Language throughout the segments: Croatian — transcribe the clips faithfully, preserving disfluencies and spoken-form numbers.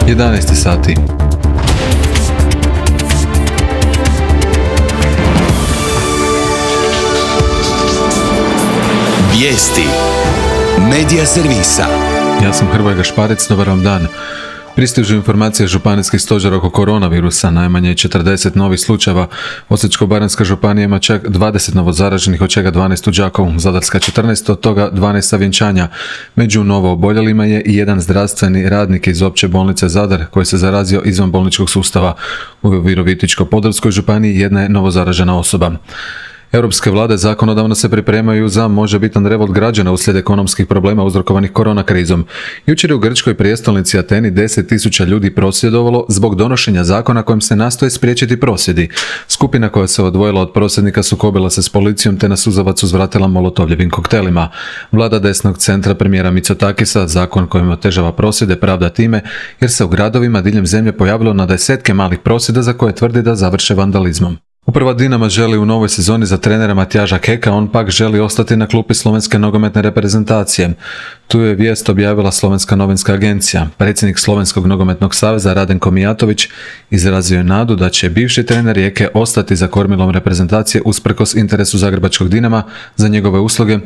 jedanaest sati. Vijesti Medija servisa. Ja sam Hrvoje Gašparec, dobar vam dan. Pristižu informacije županijskih stožera oko koronavirusa, najmanje četrdeset novih slučajeva. Osječko-baranjska županija ima čak dvadeset novozaraženih, od čega dvanaest u Đakovu, Zadarska četrnaest, od toga dvanaest sa vjenčanja. Među novo oboljelima je i jedan zdravstveni radnik iz opće bolnice Zadar koji se zarazio izvan bolničkog sustava. U Virovitičko-podravskoj županiji jedna je novozaražena osoba. Europske vlade zakonodavno se pripremaju za možebitan revolt građana uslijed ekonomskih problema uzrokovanih korona krizom. Jučer je u grčkoj prijestolnici Ateni deset tisuća ljudi prosvjedovalo zbog donošenja zakona kojim se nastoje spriječiti prosvjedi. Skupina koja se odvojila od prosvjednika sukobila se s policijom te na suzavac uzvratila molotovljevim koktelima. Vlada desnog centra premijera Mitsotakisa zakon kojim otežava prosvjede pravda time jer se u gradovima diljem zemlje pojavilo na desetke malih prosvjeda za koje tvrdi da završe vandalizmom. Uprava Dinama želi u novoj sezoni za trenera Matjaža Keka, on pak želi ostati na klupi slovenske nogometne reprezentacije. Tu je vijest objavila Slovenska novinska agencija. Predsjednik Slovenskog nogometnog saveza Radenko Mijatović izrazio je nadu da će bivši trener Rijeke ostati za kormilom reprezentacije usprkos interesu zagrebačkog Dinama za njegove usluge,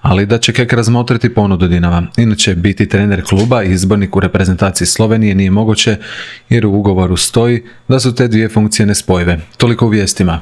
ali da će Kek razmotriti ponudu Dinama. Inače, biti trener kluba i izbornik u reprezentaciji Slovenije nije moguće jer u ugovoru stoji da su te dvije funkcije nespojive. Toliko u vijestima.